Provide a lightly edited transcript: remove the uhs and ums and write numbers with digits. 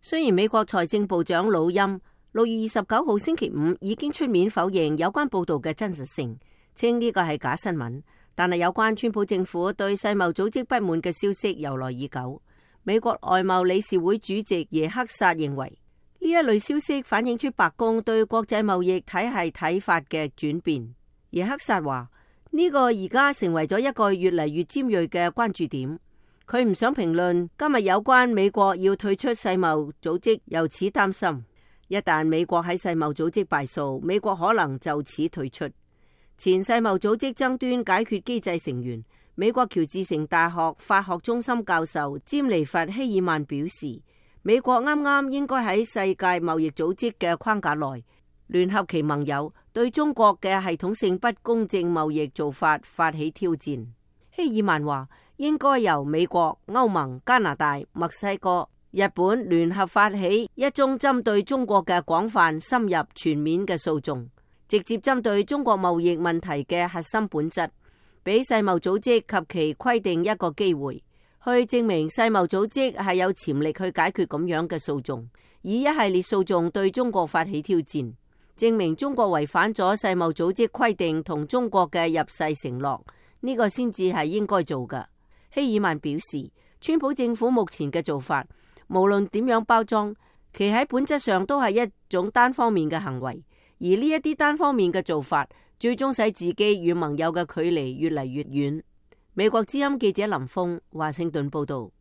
雖然美國財政部長魯欽6月29號星期五已經出面否認有關報道嘅真實性，稱呢個係假新聞，但係有關川普政府對世貿組織不滿嘅消息由來已久。美國外貿理事會主席耶克薩認為，呢一類消息反映出白宮對國際貿易體系睇法嘅轉變。耶克薩話，呢個而家成為咗一個越嚟越尖銳嘅關注點。佢唔想評論今日有關美國要退出世貿組織，由此擔心一旦美國喺世貿組織敗訴，美國可能就此退出。前世貿組織爭端解決機制成員、美國喬治城大學法學中心教授詹尼弗希爾曼表示，美國啱啱應該喺世界貿易組織嘅框架內聯合其盟友，對中國嘅系統性不公正貿易做法發起挑戰。希爾曼話，應該由美國、歐盟、加拿大、墨西哥、日本聯合發起一宗針對中國嘅廣泛、深入、全面嘅訴訟，直接針對中國貿易問題嘅核心本質，俾世貿組織及其規定一個機會，去證明世貿組織係有潛力去解決咁樣嘅訴訟，以一系列訴訟對中國發起挑戰，證明中國違反咗世貿組織規定同中國嘅入世承諾，呢個先至係應該做嘅。希爾曼表示，川普政府目前嘅做法，無論點樣包裝，其喺本質上都係一種單方面嘅行為，而呢一啲單方面嘅做法，最終使自己與盟友嘅距離越嚟越遠。美國之音記者林峰華盛頓報道。